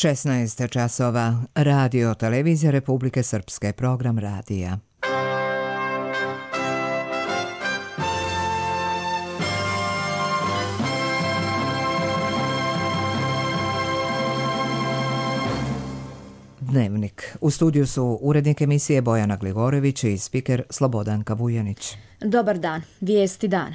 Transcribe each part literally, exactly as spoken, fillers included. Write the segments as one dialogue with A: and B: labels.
A: šesnaest časova. Radio Televizija Republike Srpske, program radija. Dnevnik. U studiju su urednik emisije Bojana Glivorević i spiker Slobodanka Vujanić.
B: Dobar dan. Vijesti dana.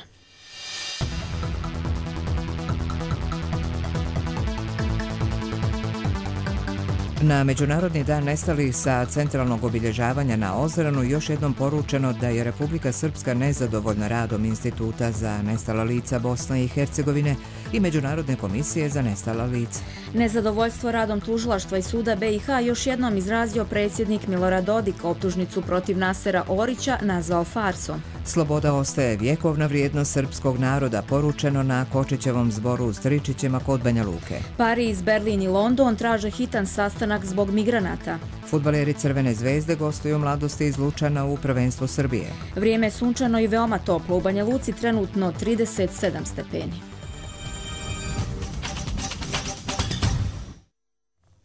A: Na Međunarodni dan nestalih sa centralnog obilježavanja na Ozranu još jednom poručeno da je Republika Srpska nezadovoljna radom Instituta za nestala lica Bosne i Hercegovine i Međunarodne komisije za nestala lica.
B: Nezadovoljstvo radom tužilaštva i suda B i H još jednom izrazio predsjednik Milorad Dodik, optužnicu protiv Nasera Orića nazvao farsom.
A: Sloboda ostaje vjekovna vrijednost srpskog naroda, poručeno na Kočićevom zboru u Stričićima kod Banja Luke.
B: Pariz, Berlin i London traže hitan sastanak zbog migranata.
A: Fudbaleri Crvene zvezde gostuju Mladosti iz Lučana u prvenstvu Srbije.
B: Vrijeme je sunčano i veoma toplo. U Banja Luci trenutno trideset sedam stepeni.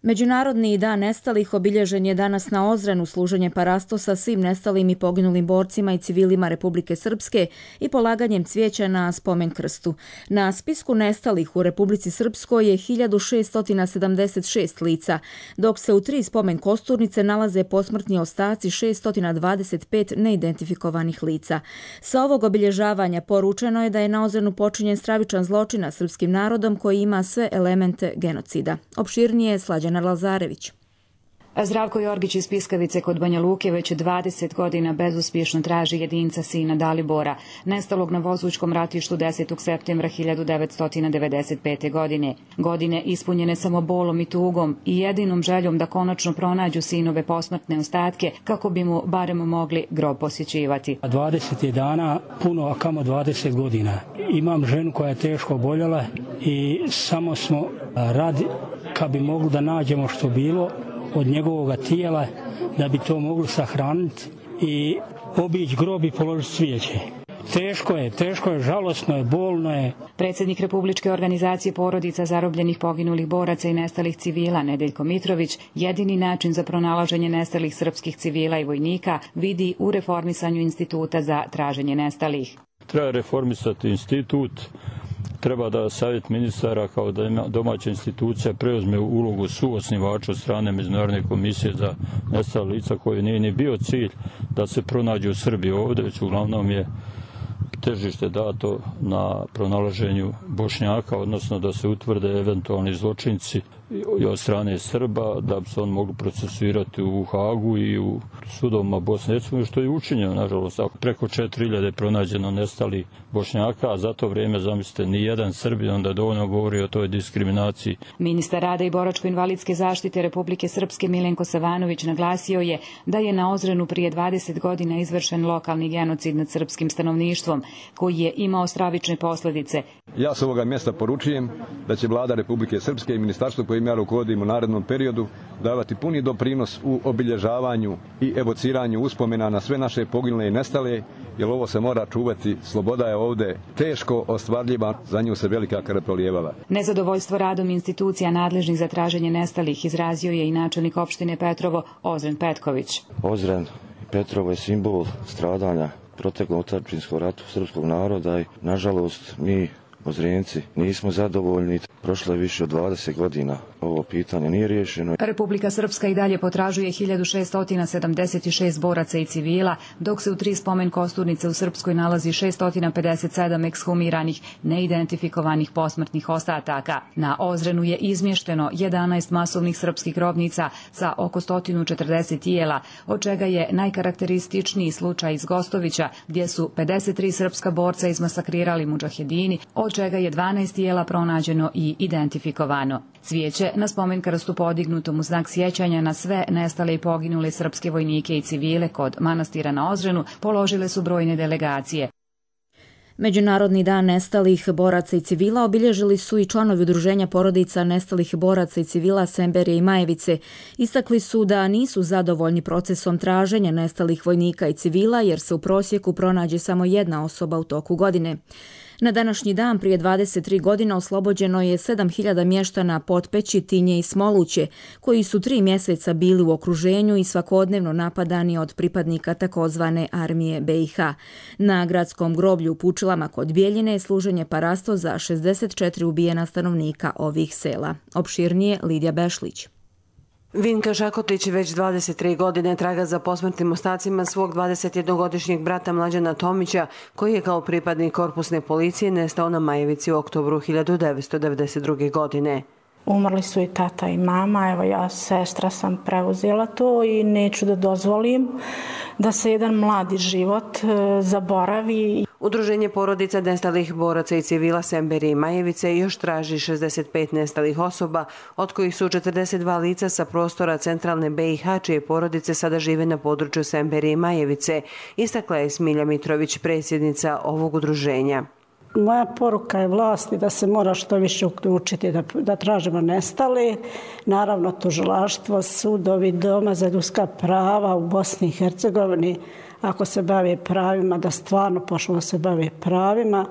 B: Međunarodni dan nestalih obilježen je danas na Ozrenu, služenje parastosa svim nestalim i poginulim borcima i civilima Republike Srpske i polaganjem cvijeća na spomen krstu. Na spisku nestalih u Republici Srpskoj je hiljadu šesto sedamdeset šest lica, dok se u tri spomen kosturnice nalaze posmrtni ostaci šesto dvadeset pet neidentifikovanih lica. Sa ovog obilježavanja poručeno je da je na Ozrenu počinjen stravičan zločin nad srpskim narodom koji ima sve elemente genocida. Opširnije Slađana Lazarević.
C: Zdravko Jorgić iz Piskavice kod Banja Luke već dvadeset godina bezuspješno traži jedinca sina Dalibora, nestalog na Vozućkom ratištu desetog septembra hiljadu devetsto devedeset pete. godine. Godine ispunjene samo bolom i tugom i jedinom željom da konačno pronađu sinove posmrtne ostatke kako bi mu barem mogli grob posjećivati.
D: dvadeset je dana, puno, a kamo dvadeset godina. Imam ženu koja je teško oboljela i samo smo radi kad bi mogli da nađemo što bilo od njegovog tijela, da bi to mogli sahraniti i obići grob i položiti cvijeće. Teško je, teško je, žalosno je, bolno je.
C: Predsjednik Republičke organizacije porodica zarobljenih poginulih boraca i nestalih civila Nedeljko Mitrović jedini način za pronalaženje nestalih srpskih civila i vojnika vidi u reformisanju Instituta za traženje nestalih.
E: Treba reformisati institut. Treba da savjet ministara kao da domaća institucija preuzme ulogu suosnivača od strane Međunarodne komisije za nestala lica koji nije ni bio cilj da se pronađe u Srbiji ovdje, već uglavnom je težište dato na pronalaženju Bošnjaka, odnosno da se utvrde eventualni zločinci i od strane Srba, da bi se on mogli procesuirati u Hagu i u sudovima Bosne i Hercegovine, što je učinjeno, nažalost. Preko četiri hiljade je pronađeno nestali Bošnjaka, a za to vrijeme, zamislite, ni jedan Srbin, onda dovoljno govori o toj diskriminaciji.
C: Ministar rada i boračko-invalidske zaštite Republike Srpske Milenko Savanović naglasio je da je na Ozrenu prije dvadeset godina izvršen lokalni genocid nad srpskim stanovništvom, koji je imao stravične posljedice.
F: Ja s ovoga mjesta poručujem da će Vlada Republike Srpske i ministarstvo kojim ja rukovodim u narednom periodu davati puni doprinos u obilježavanju i evociranju uspomena na sve naše poginule i nestale, jer ovo se mora čuvati. Sloboda je ovdje teško ostvarljiva, za nju se velika krv prolijevala.
C: Nezadovoljstvo radom institucija nadležnih za traženje nestalih izrazio je i načelnik opštine Petrovo Ozren Petković.
G: Ozren i Petrovo je simbol stradanja proteklom otadžbinskog ratu srpskog naroda i nažalost mi Ozrenci nismo zadovoljni. Prošlo je više od dvadeset godina. Ovo pitanje nije riješeno.
C: Republika Srpska i dalje potražuje hiljadu šesto sedamdeset šest boraca i civila, dok se u tri spomen kosturnice u Srpskoj nalazi šesto pedeset sedam ekshumiranih, neidentifikovanih posmrtnih ostataka. Na Ozrenu je izmješteno jedanaest masovnih srpskih grobnica sa oko sto četrdeset tijela, od čega je najkarakterističniji slučaj iz Gostovića, gdje su pedeset tri srpska borca izmasakrirali mudžahedini, od čega je dvanaest tijela pronađeno i identifikovano. Cvijeće na spomen krstu podignutom u znak sjećanja na sve nestale i poginule srpske vojnike i civile kod manastira na Ozrenu položile su brojne delegacije.
B: Međunarodni dan nestalih boraca i civila obilježili su i članovi udruženja porodica nestalih boraca i civila Semberije i Majevice. Istakli su da nisu zadovoljni procesom traženja nestalih vojnika i civila jer se u prosjeku pronađe samo jedna osoba u toku godine. Na današnji dan prije dvadeset tri godine oslobođeno je sedam hiljada mještana Potpeći, Tinje i Smoluće, koji su tri mjeseca bili u okruženju i svakodnevno napadani od pripadnika takozvane armije B i H. Na gradskom groblju u Pučilama kod Bjeljine je služenje parasto za šezdeset četiri ubijena stanovnika ovih sela. Opširnije Lidija Bešlić.
H: Vinka Žakotić već dvadeset tri godine traga za posmrtnim ostacima svog dvadesetjednogodišnjeg brata Mlađana Tomića, koji je kao pripadnik korpusne policije nestao na Majevici u oktobru hiljadu devetsto devedeset druge. godine.
I: Umrli su i tata i mama, evo ja sestra sam preuzela to i neću da dozvolim da se jedan mladi život zaboravi.
H: Udruženje porodica nestalih boraca i civila Semberije i Majevice još traži šezdeset pet nestalih osoba, od kojih su četrdeset dva lica sa prostora centralne B i H, čije porodice sada žive na području Semberije i Majevice, istakla je Smilja Mitrović, predsjednica ovog udruženja.
J: Moja poruka je vlasti da se mora što više uključiti, da, da tražimo nestale. Naravno, tužilaštvo, sudovi, Doma za ljudska prava u Bosni i Hercegovini, ako se bave pravima, da stvarno počnu da se bave pravima,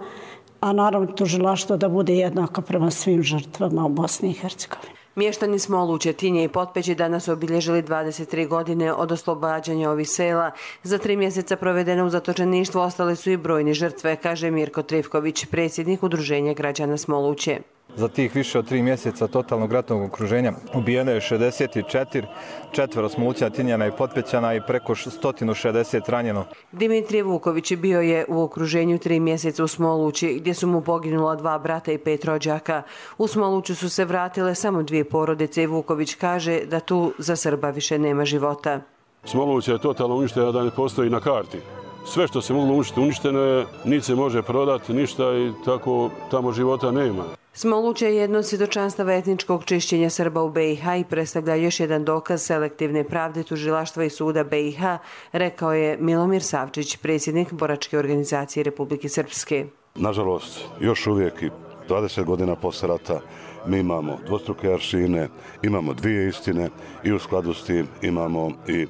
J: a naravno tužilaštvo da bude jednako prema svim žrtvama u Bosni i Hercegovini.
H: Mještani Smoluće, Tinje i Potpeći danas obilježili dvadeset tri godine od oslobađanja ovih sela. Za tri mjeseca provedene u zatočeništvu ostale su i brojni žrtve, kaže Mirko Trivković, predsjednik udruženja građana Smoluće.
K: Za tih više od tri mjeseca totalnog ratnog okruženja ubijeno je šezdeset četiri, četvero Smolućana, Tinjana i Potpećana i preko sto šezdeset ranjeno.
H: Dimitrije Vuković bio je u okruženju tri mjeseca u Smolući, gdje su mu poginula dva brata i pet rođaka. U Smoluću su se vratile samo dvije porodice i Vuković kaže da tu za Srba više nema života.
L: Smoluća je totalno uništena, da ne postoji na karti. Sve što se moglo uništiti uništeno je, niti se može prodati ništa i tako tamo života nema.
H: Smoluće je jedno od svjedočanstava etničkog čišćenja Srba u B i H i predstavlja još jedan dokaz selektivne pravde tužilaštva i suda B i H, rekao je Milomir Savčić, predsjednik boračke organizacije Republike Srpske.
M: Nažalost, još uvijek i dvadeset godina posle rata mi imamo dvostruke aršine, imamo dvije istine i u skladu s tim imamo i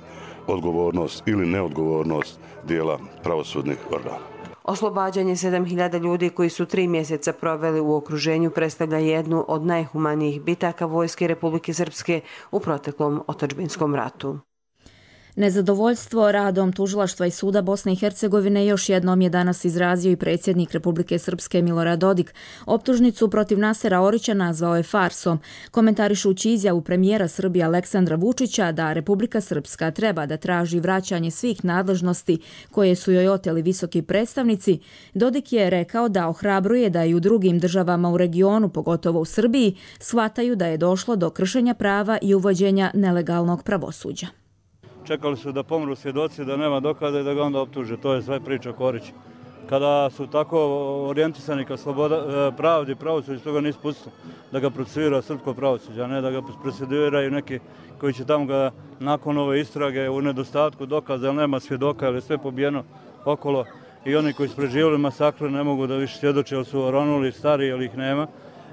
M: odgovornost ili neodgovornost dijela pravosudnih organa.
H: Oslobađanje sedam hiljada ljudi koji su tri mjeseca proveli u okruženju predstavlja jednu od najhumanijih bitaka vojske Republike Srpske u proteklom otadžbinskom ratu.
B: Nezadovoljstvo radom tužilaštva i suda Bosne i Hercegovine još jednom je danas izrazio i predsjednik Republike Srpske Milorad Dodik. Optužnicu protiv Nasera Orića nazvao je farsom, komentarišući izjavu premijera Srbije Aleksandra Vučića da Republika Srpska treba da traži vraćanje svih nadležnosti koje su joj oteli visoki predstavnici. Dodik je rekao da ohrabruje da i u drugim državama u regionu, pogotovo u Srbiji, shvataju da je došlo do kršenja prava i uvođenja nelegalnog pravosuđa.
N: Čekali su da pomru svjedoci, da nema dokaza i da ga onda optuže. To je sve priča Korić. Kada su tako orijentisani ka sloboda, pravdi, pravosuđe, toga nisu pustili da ga procesuira srpsko pravosuđe, a ne da ga procesuiraju neki koji će tamo ga nakon ove istrage u nedostatku dokaza, jer nema svjedoka, jer je sve pobijeno okolo i oni koji su preživjeli masakru ne mogu da više svjedoče, jer su oronuli stari, jer ih nema.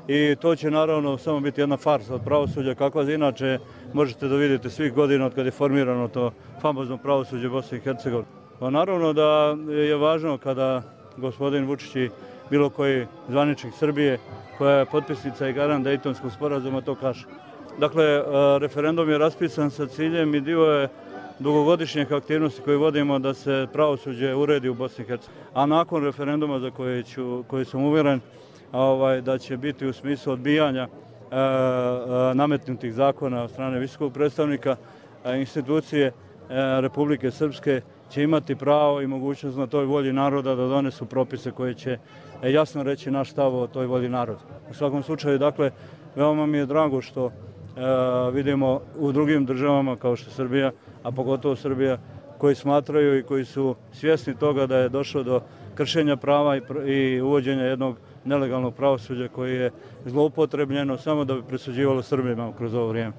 N: I to će naravno samo biti jedna farsa od pravosuđa, kakva inače možete da vidite svih godina od kada je formirano to famozno pravosuđe Bosne i Hercegovine. Pa naravno da je važno kada gospodin Vučić i bilo koji zvaničnik Srbije, koja je potpisnica i garant Dejtonskog sporazuma, to kaže. Dakle, referendum je raspisan sa ciljem i dio je dugogodišnjih aktivnosti koje vodimo da se pravosuđe uredi u Bosni i Hercegovini. A nakon referenduma za koje, ću, koje sam uvjeren ovaj, da će biti u smislu odbijanja e, e, nametnutih zakona od strane visokog predstavnika, e, institucije e, Republike Srpske će imati pravo i mogućnost na toj volji naroda da donesu propise koje će e, jasno reći naš stav o toj volji naroda. U svakom slučaju, dakle, veoma mi je drago što e, vidimo u drugim državama kao što je Srbija, a pogotovo Srbija, koji smatraju i koji su svjesni toga da je došlo do kršenja prava i, i uvođenja jednog nelegalnog pravosuđa koje je zloupotrebljeno samo da bi presuđivalo Srbima kroz ovo vrijeme.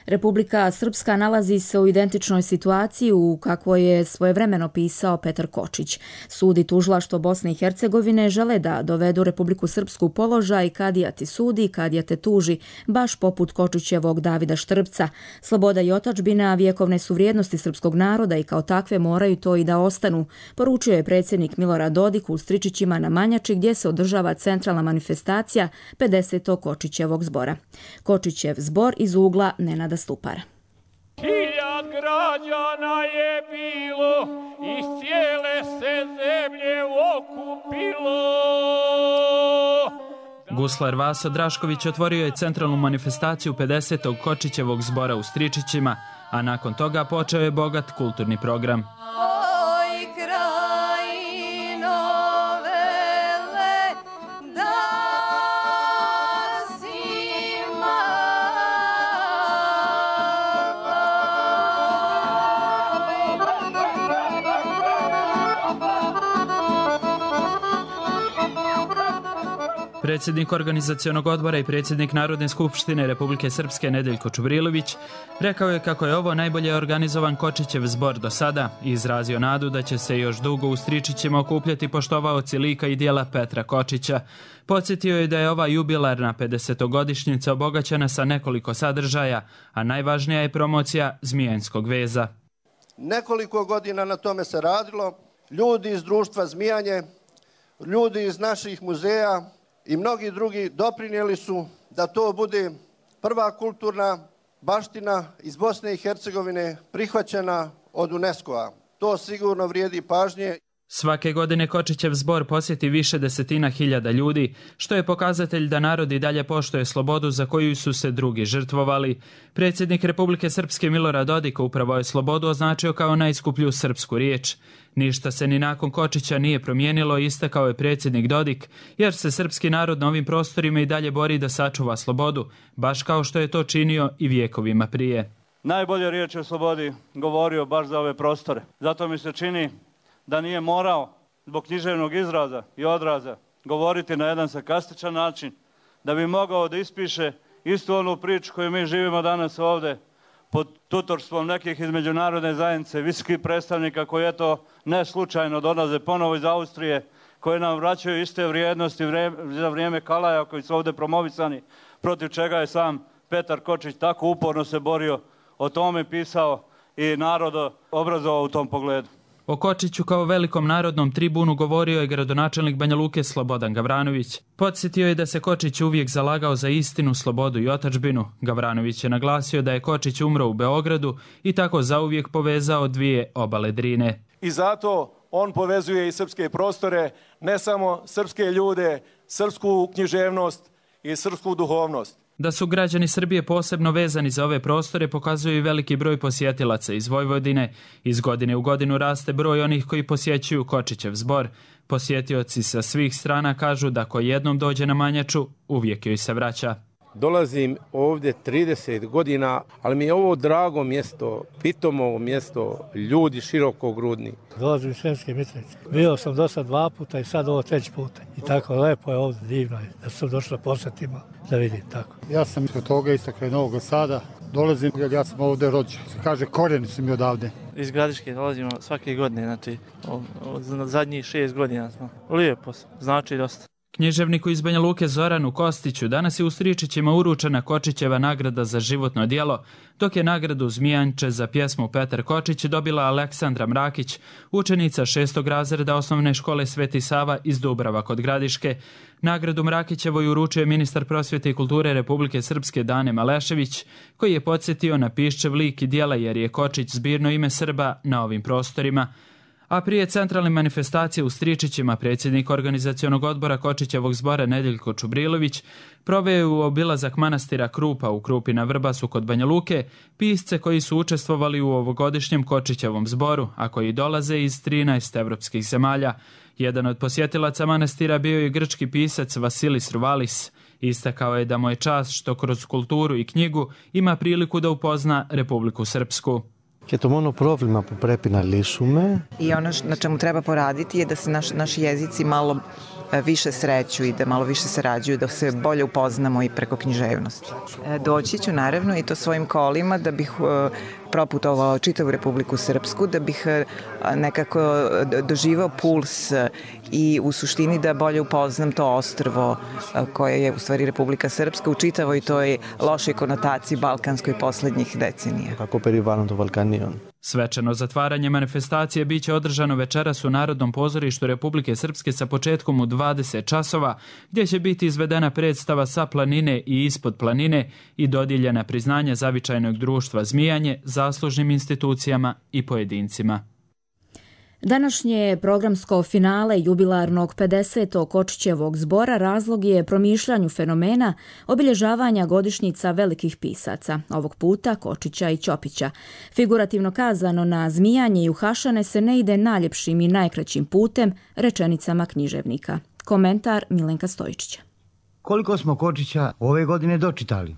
B: Republika Srpska nalazi se u identičnoj situaciji u kakvoj je svojevremeno pisao Petar Kočić. Sud i tužilaštvo Bosne i Hercegovine žele da dovedu Republiku Srpsku u položaj kadija ti sudi, kadija te tuži, baš poput Kočićevog Davida Štrbca. Sloboda i otadžbina vjekovne su vrijednosti srpskog naroda i kao takve moraju to i da ostanu, poručio je predsjednik Milorad Dodik u Stričićima na Manjači gdje se održava centralna manifestacija pedesetog Kočićevog zbora. Kočićev zbor iz ugla Nenada Stupara.
O: Hiljad građana je bilo, iz cijele se zemlje okupilo.
P: Guslar Vaso Drašković otvorio je centralnu manifestaciju pedesetog Kočićevog zbora u Stričićima, a nakon toga počeo je bogat kulturni program. Predsjednik organizacionog odbora i predsjednik Narodne skupštine Republike Srpske Nedeljko Čubrilović rekao je kako je ovo najbolje organizovan Kočićev zbor do sada i izrazio nadu da će se još dugo u Stričićima okupljati poštovaoci lika i dijela Petra Kočića. Podsjetio je da je ova jubilarna pedesetogodišnjica obogaćena sa nekoliko sadržaja, a najvažnija je promocija Zmijanskog veza.
Q: Nekoliko godina na tome se radilo, ljudi iz društva Zmijanje, ljudi iz naših muzeja i mnogi drugi doprinijeli su da to bude prva kulturna baština iz Bosne i Hercegovine prihvaćena od UNESCO-a. To sigurno vrijedi pažnje.
P: Svake godine Kočićev zbor posjeti više desetina hiljada ljudi, što je pokazatelj da narod i dalje poštuje slobodu za koju su se drugi žrtvovali. Predsjednik Republike Srpske Milorad Dodik upravo je slobodu označio kao najskuplju srpsku riječ. Ništa se ni nakon Kočića nije promijenilo, istakao je predsjednik Dodik, jer se srpski narod na ovim prostorima i dalje bori da sačuva slobodu, baš kao što je to činio i vjekovima prije.
N: Najbolje riječ o slobodi govorio baš za ove prostore. Zato mi se čini da nije morao zbog književnog izraza i odraza govoriti na jedan sarkastičan način, da bi mogao da ispiše istu onu priču koju mi živimo danas ovdje pod tutorstvom nekih iz međunarodne zajednice, visokih predstavnika koji eto ne slučajno dolaze ponovo iz Austrije, koji nam vraćaju iste vrijednosti za vrijeme Kalaja koji su ovdje promovisani, protiv čega je sam Petar Kočić tako uporno se borio, o tome pisao i narod obrazovao u tom pogledu.
P: O Kočiću kao velikom narodnom tribunu govorio je gradonačelnik Banja Luke Slobodan Gavranović. Podsjetio je da se Kočić uvijek zalagao za istinu, slobodu i otadžbinu. Gavranović je naglasio da je Kočić umro u Beogradu i tako zauvijek povezao dvije obale Drine.
R: I zato on povezuje i srpske prostore, ne samo srpske ljude, srpsku književnost i srpsku duhovnost.
P: Da su građani Srbije posebno vezani za ove prostore pokazuje i veliki broj posjetilaca iz Vojvodine. Iz godine u godinu raste broj onih koji posjećuju Kočićev zbor. Posjetioci sa svih strana kažu da ko jednom dođe na Manjaču, uvijek joj se vraća.
S: Dolazim ovdje trideset godina, ali mi je ovo drago mjesto, pitomo mjesto, ljudi širokogrudni.
T: Dolazim iz Sremske Mitrovice. Bio sam do sad dva puta i sad ovo treći puta. I tako lepo je ovdje, divno je da sam došla posjetima da vidim tako.
U: Ja sam iz toga istakle Novog Sada. Dolazim jer ja sam ovdje rođen. Se kaže korijeni su mi odavde.
V: Iz Gradiške dolazimo svake godine, znači od zadnjih šest godina smo. Lijepo, znači dosta.
P: Književniku iz Banja Luke Zoranu Kostiću danas je u Stričićima uručena Kočićeva nagrada za životno djelo, dok je nagradu Zmijanče za pjesmu Petar Kočić dobila Aleksandra Mrakić, učenica šestog razreda osnovne škole Sveti Sava iz Dubrava kod Gradiške. Nagradu Mrakićevoj uručuje ministar prosvjete i kulture Republike Srpske Dane Malešević, koji je podsjetio na Piščev lik i djela jer je Kočić zbirno ime Srba na ovim prostorima. A prije centralne manifestacije u Stričićima predsjednik organizacionog odbora Kočićevog zbora Nedeljko Čubrilović proveo je u obilazak manastira Krupa u Krupi na Vrbasu kod Banja Luke pisce koji su učestvovali u ovogodišnjem Kočićevom zboru, a koji dolaze iz trinaest evropskih zemalja. Jedan od posjetilaca manastira bio je grčki pisac Vasilis Ruvalis. Istakao je da mu je čast što kroz kulturu i knjigu ima priliku da upozna Republiku Srpsku.
W: Και το μόνο πρόβλημα που πρέπει να λύσουμε
X: I ono na čemu treba poraditi je da se naš, naši jezici malo
A: više sreću i da malo više sarađuju, da se bolje upoznamo i preko književnosti. Doći ću naravno i to svojim kolima da bih proputovao čitavu Republiku Srpsku, da bih nekako doživao puls i u suštini da bolje upoznam to ostrvo koje je u stvari Republika Srpska u čitavoj toj lošoj konotaciji balkanskoj poslednjih decenija.
D: Kako perivarno do Balkanion.
P: Svečano zatvaranje manifestacije biće održano večeras u Narodnom pozorištu Republike Srpske sa početkom u dvadeset časova, gdje će biti izvedena predstava Sa planine i Ispod planine i dodijeljena priznanja Zavičajnog društva Zmijanje zaslužnim institucijama i pojedincima.
B: Današnje programsko finale jubilarnog pedesetog Kočićevog zbora razlog je promišljanju fenomena obilježavanja godišnjica velikih pisaca, ovog puta Kočića i Ćopića. Figurativno kazano, na zmijanje i uhašane se ne ide najljepšim i najkraćim putem, rečenicama književnika. Komentar Milenka Stojičića.
W: Koliko smo Kočića ove godine dočitali?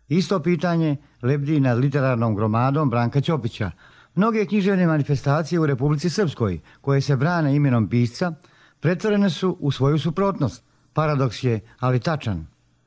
W: Isto pitanje lebdi nad literarnom gromadom Branka Ćopića. Mnoge književne manifestacije u Republici Srpskoj, koje se brane imenom pisca, pretvorene su u svoju suprotnost. Paradoks je, ali tačan.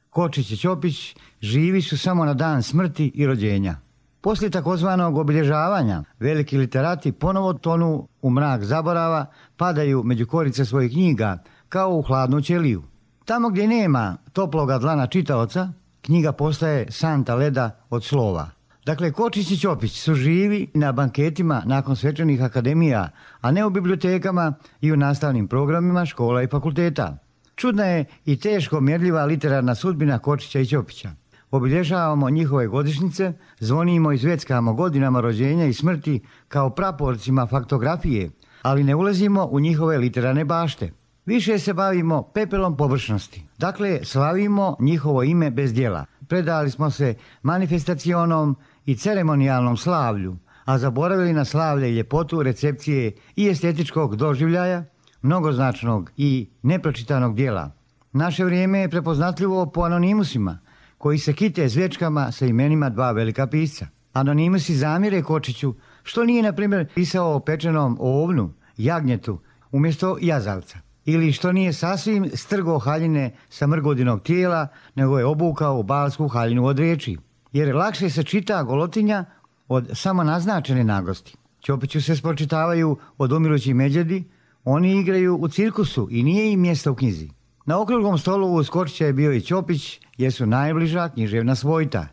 W: Kočić i Ćopić živi su samo na dan smrti i rođenja. Poslije takozvanog obilježavanja, veliki literati ponovo tonu u mrak zaborava, padaju među korice svojih knjiga, kao u hladnu ćeliju. Tamo gdje nema toploga dlana čitaoca, knjiga postaje santa leda od slova. Dakle, Kočić i Ćopić su živi na banketima nakon svečanih akademija, a ne u bibliotekama i u nastavnim programima škola i fakulteta. Čudna je i teško mjerljiva literarna sudbina Kočića i Ćopića. Obilježavamo njihove godišnjice, zvonimo i zveckamo godinama rođenja i smrti kao praporcima faktografije, ali ne ulazimo u njihove literarne bašte. Više se bavimo pepelom površnosti. Dakle, slavimo njihovo ime bez djela. Predali smo se manifestacionom i ceremonijalnom slavlju, a zaboravili na slavlje i ljepotu recepcije i estetičkog doživljaja, mnogoznačnog i nepročitanog dijela. Naše vrijeme je prepoznatljivo po anonimusima, koji se kite zvečkama sa imenima dva velika pisca. Anonimusi zamire Kočiću, što nije, na primjer, pisao o pečenom ovnu, jagnjetu, umjesto jazavca. Ili što nije sasvim strgo haljine sa mrgodinog tijela, nego je obukao balsku haljinu od riječi. Jer lakše se čita golotinja od samo naznačene naglosti. Ćopiću se spočitavaju od umirućih međedi, oni igraju u cirkusu i nije im mjesto u knjizi. Na okruglom stolu uz Kočića je bio i Ćopić, jer su najbliža književna svojta.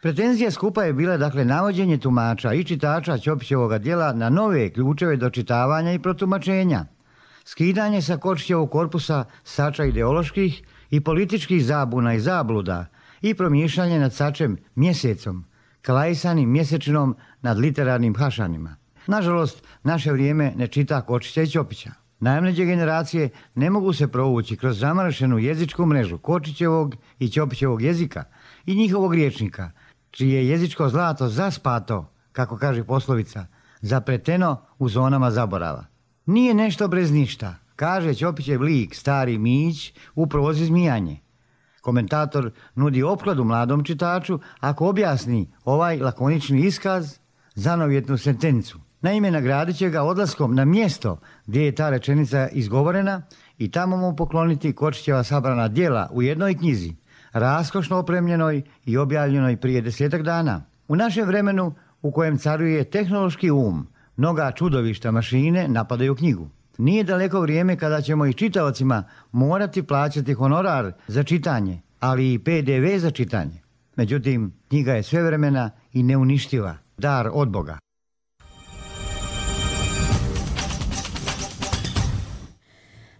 W: Pretenzija skupa je bila, dakle, navođenje tumača i čitača Ćopićevoga djela na nove ključeve do čitavanja i protumačenja. Skidanje sa Kočićevog korpusa sača ideoloških i političkih zabuna i zabluda i promišljanje nad sačem mjesecom, klajsanim mjesečinom nad literarnim hašanima. Nažalost, naše vrijeme ne čita Kočića i Ćopića. Najmlađe generacije ne mogu se provući kroz zamršenu jezičku mrežu Kočićevog i Ćopićevog jezika i njihovog riječnika, čije je jezičko zlato zaspato, kako kaže poslovica, zapreteno u zonama zaborava. Nije nešto brez ništa, kaže Ćopićev lik, stari Mić, u prozi Zmijanje. Komentator nudi opkladu mladom čitaču ako objasni ovaj lakonični iskaz, zanovjetnu sentencu. Naime, nagradit će ga odlaskom na mjesto gdje je ta rečenica izgovorena i tamo mu pokloniti Kočićeva sabrana djela u jednoj knjizi, raskošno opremljenoj i objavljenoj prije desetak dana. U našem vremenu, u kojem caruje tehnološki um, mnoga čudovišta mašine napadaju knjigu. Nije daleko vrijeme kada ćemo i čitaocima morati plaćati honorar za čitanje, ali i pe de ve za čitanje. Međutim, knjiga je svevremena i neuništiva, dar od Boga.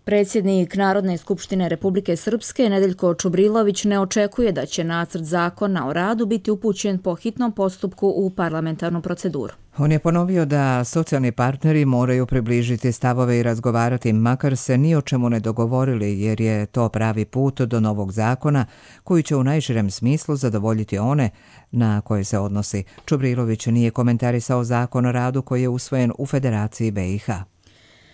B: Predsjednik Narodne skupštine Republike Srpske Nedeljko Čubrilović ne očekuje da će nacrt zakona o radu biti upućen po hitnom postupku u parlamentarnu proceduru.
X: On je ponovio da socijalni partneri moraju približiti stavove i razgovarati, makar se ni o čemu ne dogovorili, jer je to pravi put do novog zakona koji će u najširem smislu zadovoljiti one na koje se odnosi. Čubrilović nije komentarisao zakon o radu koji je usvojen u Federaciji be i ha.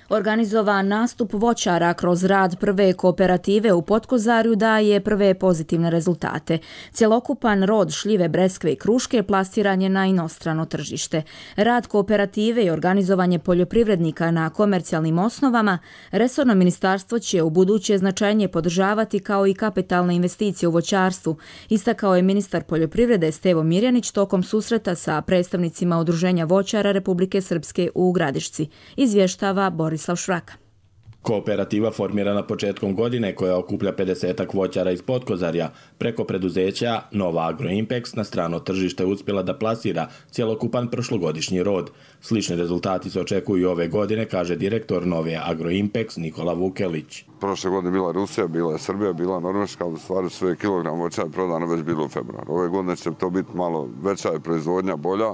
B: Organizovan nastup voćara kroz rad prve kooperative u Potkozarju daje prve pozitivne rezultate. Cjelokupan rod šljive, breskve i kruške plasiran je na inostrano tržište. Rad kooperative i organizovanje poljoprivrednika na komercijalnim osnovama resorno ministarstvo će u buduće značajnije podržavati kao i kapitalne investicije u voćarstvu, istakao je ministar poljoprivrede Stevo Mirjanić tokom susreta sa predstavnicima Udruženja voćara Republike Srpske u Gradišci. Izvještava Boris Borislav Švraka.
D: Kooperativa formirana početkom godine koja okuplja pedesetak voćara iz Potkozarja preko preduzeća Nova Agroimpex na strano tržište uspjela da plasira cjelokupan prošlogodišnji rod. Slični rezultati se očekuju i ove godine, kaže direktor Nove Agroimpex Nikola Vukelić.
E: Prošle godine bila Rusija, bila je Srbija, bila Norveška, u stvari sve kilogram voća je prodano već bilo u februaru. Ove godine će to biti malo veća je proizvodnja, bolja.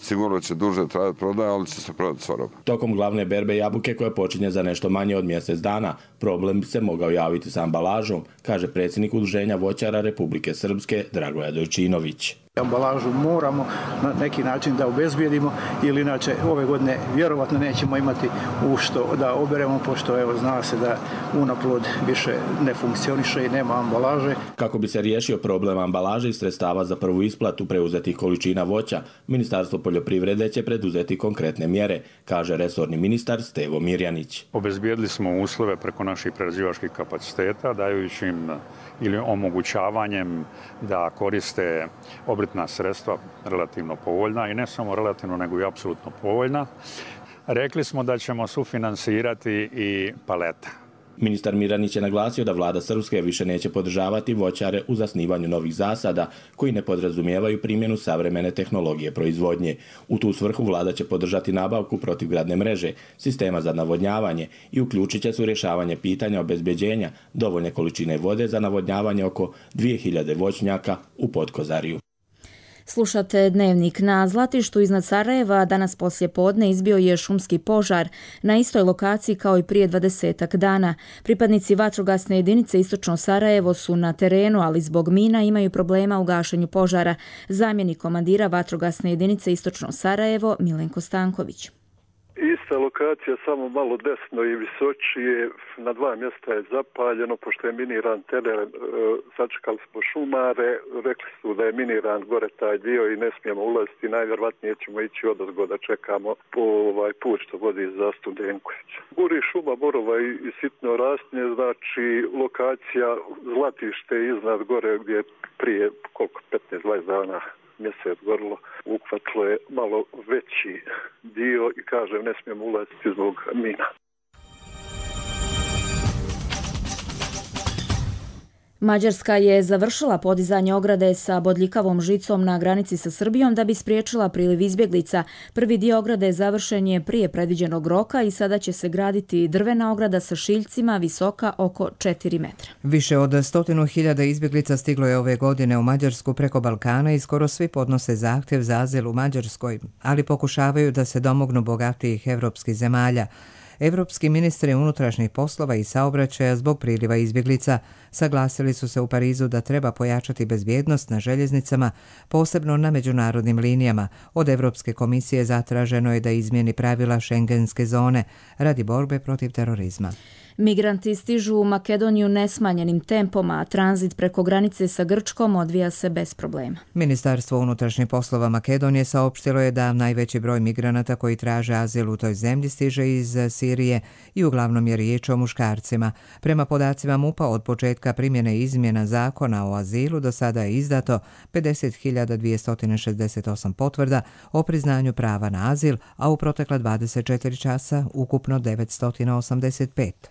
E: Sigurno će duže trajati prodaja, ali će se prodati sva roba.
D: Tokom glavne berbe jabuke koja počinje za nešto manje od mjesec dana, problem bi se mogao javiti sa ambalažom, kaže predsjednik Udruženja voćara Republike Srpske Dragoja Dojčinović.
F: Ambalažu moramo na neki način da obezbijedimo, ili inače ove godine vjerovatno nećemo imati u što da oberemo, pošto evo zna se da unaplod više ne funkcioniše i nema ambalaže.
D: Kako bi se riješio problem ambalaže i sredstava za prvu isplatu preuzetih količina voća, Ministarstvo poljoprivrede će preduzeti konkretne mjere, kaže resorni ministar Stevo Mirjanić.
G: Obezbijedili smo uslove preko naših prerađivačkih kapaciteta, dajući im ili omogućavanjem da koriste obrtna sredstva relativno povoljna, i ne samo relativno nego i apsolutno povoljna. Rekli smo da ćemo sufinansirati i palete.
D: Ministar Mirjanić je naglasio da vlada Srpske više neće podržavati voćare u zasnivanju novih zasada koji ne podrazumijevaju primjenu savremene tehnologije proizvodnje. U tu svrhu vlada će podržati nabavku protivgradne mreže, sistema za navodnjavanje i uključit će se u rješavanje pitanja obezbeđenja dovoljne količine vode za navodnjavanje oko dvije hiljade voćnjaka u Potkozarju.
B: Slušate Dnevnik. Na Zlatištu iznad Sarajeva danas poslije podne izbio je šumski požar na istoj lokaciji kao i prije dvadesetak dana. Pripadnici vatrogasne jedinice Istočno Sarajevo su na terenu, ali zbog mina imaju problema u gašenju požara. Zamjenik komandira vatrogasne jedinice Istočno Sarajevo Milenko Stanković.
Y: Ista lokacija, samo malo desno i visočije, na dva mjesta je zapaljeno, pošto je miniran teren, e, sačekali smo šumare, rekli su da je miniran gore taj dio i ne smijemo ulaziti, najvjerovatnije ćemo ići odozgo da čekamo po ovaj put što vodi za Studenkovića. Gori šuma, borova i, i sitno rastnje, znači lokacija Zlatište iznad gore gdje prije koliko petnaest dvadeset dana mjesec gorilo, uhvatilo je malo veći dio i kažem ne smijemo ulaziti zbog mina.
B: Mađarska je završila podizanje ograde sa bodljikavom žicom na granici sa Srbijom da bi spriječila priliv izbjeglica. Prvi dio ograde završen je prije predviđenog roka i sada će se graditi drvena ograda sa šiljcima visoka oko četiri metra.
X: Više od stotinu hiljada izbjeglica stiglo je ove godine u Mađarsku preko Balkana i skoro svi podnose zahtjev za azil u Mađarskoj, ali pokušavaju da se domognu bogatijih evropskih zemalja. Evropski ministri unutrašnjih poslova i saobraćaja zbog priliva izbjeglica saglasili su se u Parizu da treba pojačati bezbjednost na željeznicama, posebno na međunarodnim linijama. Od Evropske komisije zatraženo je da izmijeni pravila šengenske zone radi borbe protiv terorizma.
B: Migranti stižu u Makedoniju nesmanjenim tempom, a tranzit preko granice sa Grčkom odvija se bez problema.
X: Ministarstvo unutrašnjih poslova Makedonije saopštilo je da najveći broj migranata koji traže azil u toj zemlji stiže iz Sirije i uglavnom je riječ o muškarcima. Prema podacima MUP-a od početka primjene izmjena zakona o azilu do sada je izdato pedeset hiljada dvjesto šezdeset osam potvrda o priznanju prava na azil, a u protekla dvadeset četiri časa ukupno devetsto osamdeset pet.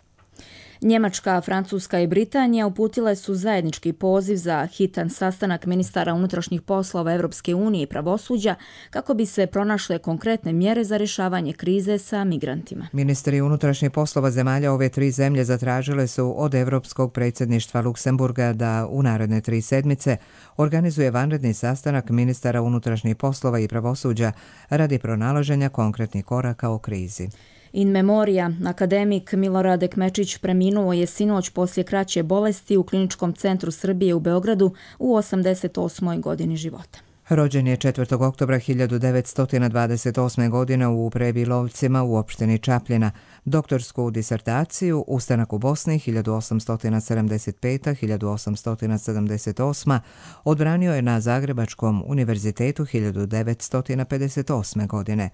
B: Njemačka, Francuska i Britanija uputile su zajednički poziv za hitan sastanak ministara unutrašnjih poslova Evropske unije i pravosuđa kako bi se pronašle konkretne mjere za rješavanje krize sa migrantima.
X: Ministri unutrašnjih poslova zemalja ove tri zemlje zatražile su od Evropskog predsjedništva Luksemburga da u naredne tri sedmice organizuje vanredni sastanak ministara unutrašnjih poslova i pravosuđa radi pronalaženja konkretnih koraka u krizi.
B: In memoria, akademik Milorad Ekmečić preminuo je sinoć poslije kraće bolesti u Kliničkom centru Srbije u Beogradu u osamdeset osmoj godini života.
X: Rođen je četvrtog oktobra hiljadu devetsto dvadeset osme. godine u Prebilovcima u opštini Čapljina. Doktorsku disertaciju Ustanak u Bosni hiljadu osamsto sedamdeset pete do hiljadu osamsto sedamdeset osme. odbranio je na Zagrebačkom univerzitetu hiljadu devetsto pedeset osme. godine.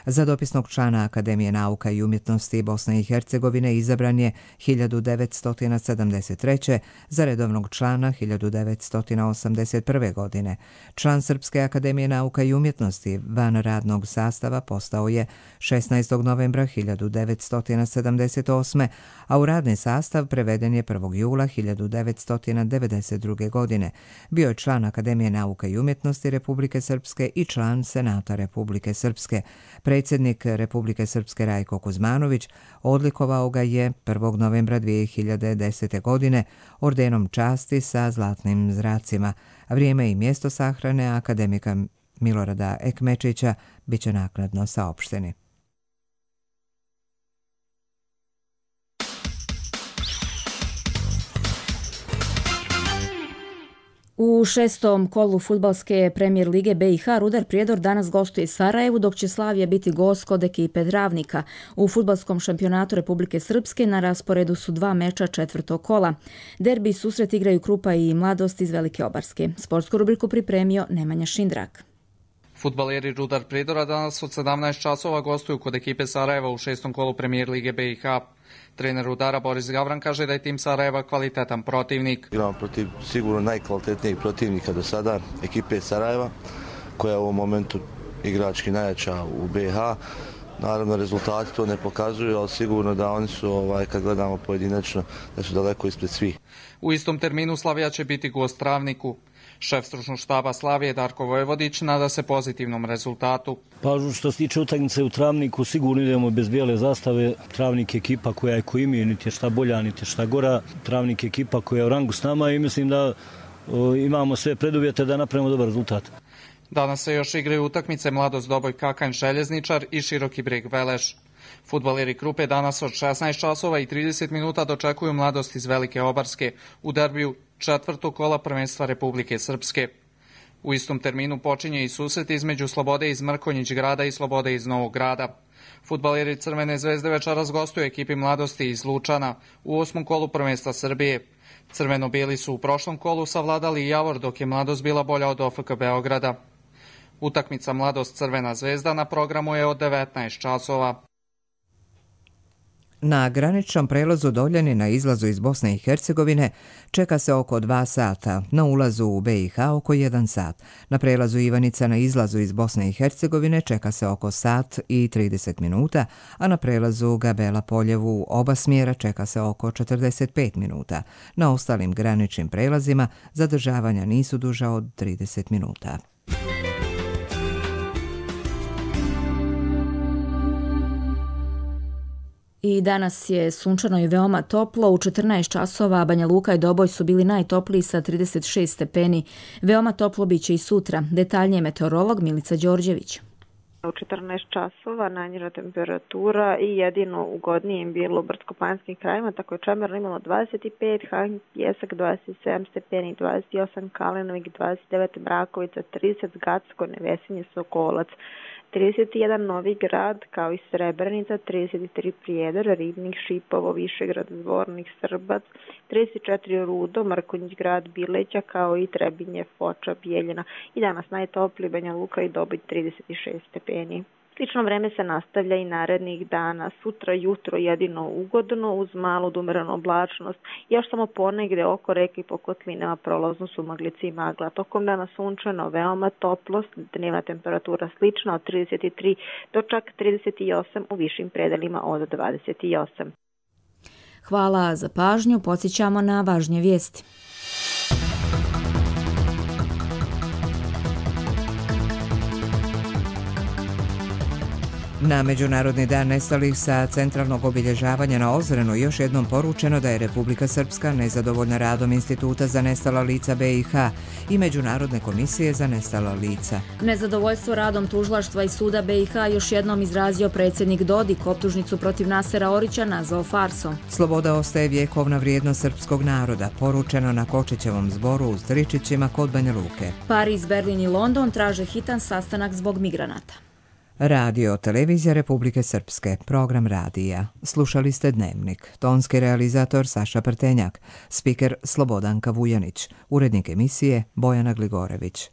X: Za dopisnog člana Akademije nauka i umjetnosti Bosne i Hercegovine izabran je hiljadu devetsto sedamdeset treće. za redovnog člana hiljadu devetsto osamdeset prve. godine. Član Srpske akademije nauka i umjetnosti van radnog sastava postao je šesnaestog novembra hiljadu devetsto sedamdeset osme. a u radni sastav preveden je prvog jula hiljadu devetsto devedeset druge. godine. Bio je član Akademije nauka i umjetnosti Republike Srpske i član Senata Republike Srpske. Predsjednik Republike Srpske Rajko Kuzmanović odlikovao ga je prvog novembra dvije hiljade desete. godine ordenom časti sa zlatnim zracima. Vrijeme i mjesto sahrane akademika Milorada Ekmečića bit će naknadno saopšteni.
B: U šestom kolu fudbalske premijer lige B i H Rudar Prijedor danas gostuje Sarajevu, dok će Slavija biti gost kod ekipe Dravnika. U fudbalskom šampionatu Republike Srpske na rasporedu su dva meča četvrtog kola. Derbi susret igraju Krupa i Mladost iz Velike Obarske. Sportsku rubriku pripremio Nemanja Šindrak.
C: Fudbaleri Rudar Prijedora danas od sedamnaest časova gostuju kod ekipe Sarajeva u šestom kolu premijer lige B i H. Trener Rudara Boris Gavran kaže da je tim Sarajeva kvalitetan protivnik.
I: Igramo protiv sigurno najkvalitetnijeg protivnika do sada, ekipe Sarajeva, koja u ovom momentu igrački najjača u B i H. Naravno, rezultati to ne pokazuju, ali sigurno da oni su, ovaj, kad gledamo pojedinačno, da su daleko ispred svih.
C: U istom terminu Slavija će biti gost Travniku. Šef stručnog štaba Slavije Darko Vojvodić nada se pozitivnom rezultatu.
J: Pa što se tiče utakmice u Travniku, sigurno idemo bez bijele zastave. Travnik je ekipa koja je ko imije, niti je šta bolja, niti je šta gora. Travnik je ekipa koja je u rangu s nama i mislim da o, imamo sve preduvjete da napravimo dobar rezultat.
C: Danas se još igraju utakmice Mladost Doboj Kakanj Željezničar i Široki Brijeg Veleš. Fudbaleri Krupe danas od šesnaest časova i trideset minuta dočekuju Mladost iz Velike Obarske u derbiju četvrtog kola prvenstva Republike Srpske. U istom terminu počinje i susret između Slobode iz Mrkonjić grada i Slobode iz Novog grada. Fudbaleri Crvene zvezde večeras gostuju ekipi Mladosti iz Lučana u osmom kolu prvenstva Srbije. Crveno-bijeli su u prošlom kolu savladali Javor, dok je Mladost bila bolja od O F K Beograda. Utakmica Mladost Crvena zvezda na programu je od devetnaest časova.
X: Na graničnom prelazu Doljani na izlazu iz Bosne i Hercegovine čeka se oko dva sata, na ulazu u B i H oko jedan sat. Na prelazu Ivanica na izlazu iz Bosne i Hercegovine čeka se oko sat i trideset minuta, a na prelazu Gabela Poljevu u oba smjera čeka se oko četrdeset pet minuta. Na ostalim graničnim prelazima zadržavanja nisu duža od trideset minuta.
B: I danas je sunčano i veoma toplo. U četrnaest časova Banja Luka i Doboj su bili najtopliji sa trideset šest stepeni. Veoma toplo biće i sutra. Detaljnije meteorolog Milica Đorđević.
K: U četrnaest časova najniža temperatura i jedino ugodnije im bilo u brdsko-planinskim krajima, tako je Čemerno imalo dvadeset pet, Han Pjesak dvadeset sedam stepeni, dvadeset osam Kalenovik, dvadeset devet Brakovica, trideset Gacko, Nevesinje, Sokolac, trideset jedan Novi Grad, kao i Srebrenica, trideset tri Prijedor, Ribnik, Šipovo, Višegrad, Zvornik, Srbac, trideset četiri Rudo, Mrkonjić grad, Bileća, kao i Trebinje, Foča, Bijeljina. I danas najtopliji Banja Luka i Doboj trideset šest stepeni. Slično vreme se nastavlja i narednih dana. Sutra jutro jedino ugodno uz malu umerenu oblačnost. Još samo ponegde oko reke i po kotlinama prolazno su maglice i magla. Tokom dana sunčano, veoma toplost, dnevna temperatura slična od trideset tri do čak trideset osam, u višim predelima od dvadeset osam.
B: Hvala za pažnju. Podsjećamo na važnje vijesti.
X: Na Međunarodni dan nestalih sa centralnog obilježavanja na Ozrenu još jednom poručeno da je Republika Srpska nezadovoljna radom Instituta za nestala lica B i H i Međunarodne komisije za nestala lica.
B: Nezadovoljstvo radom tužilaštva i suda B i H još jednom izrazio predsjednik Dodik, optužnicu protiv Nasera Orića nazvao farsom.
X: Sloboda ostaje vjekovna vrijednost srpskog naroda, poručeno na Kočićevom zboru u Stričićima kod Banja Luke.
B: Pariz, Berlin i London traže hitan sastanak zbog migranata.
X: Radio Televizija Republike Srpske, program radija. Slušali ste Dnevnik. Tonski realizator Saša Prtenjak, spiker Slobodanka Vujanić, urednik emisije Bojana Gligorević.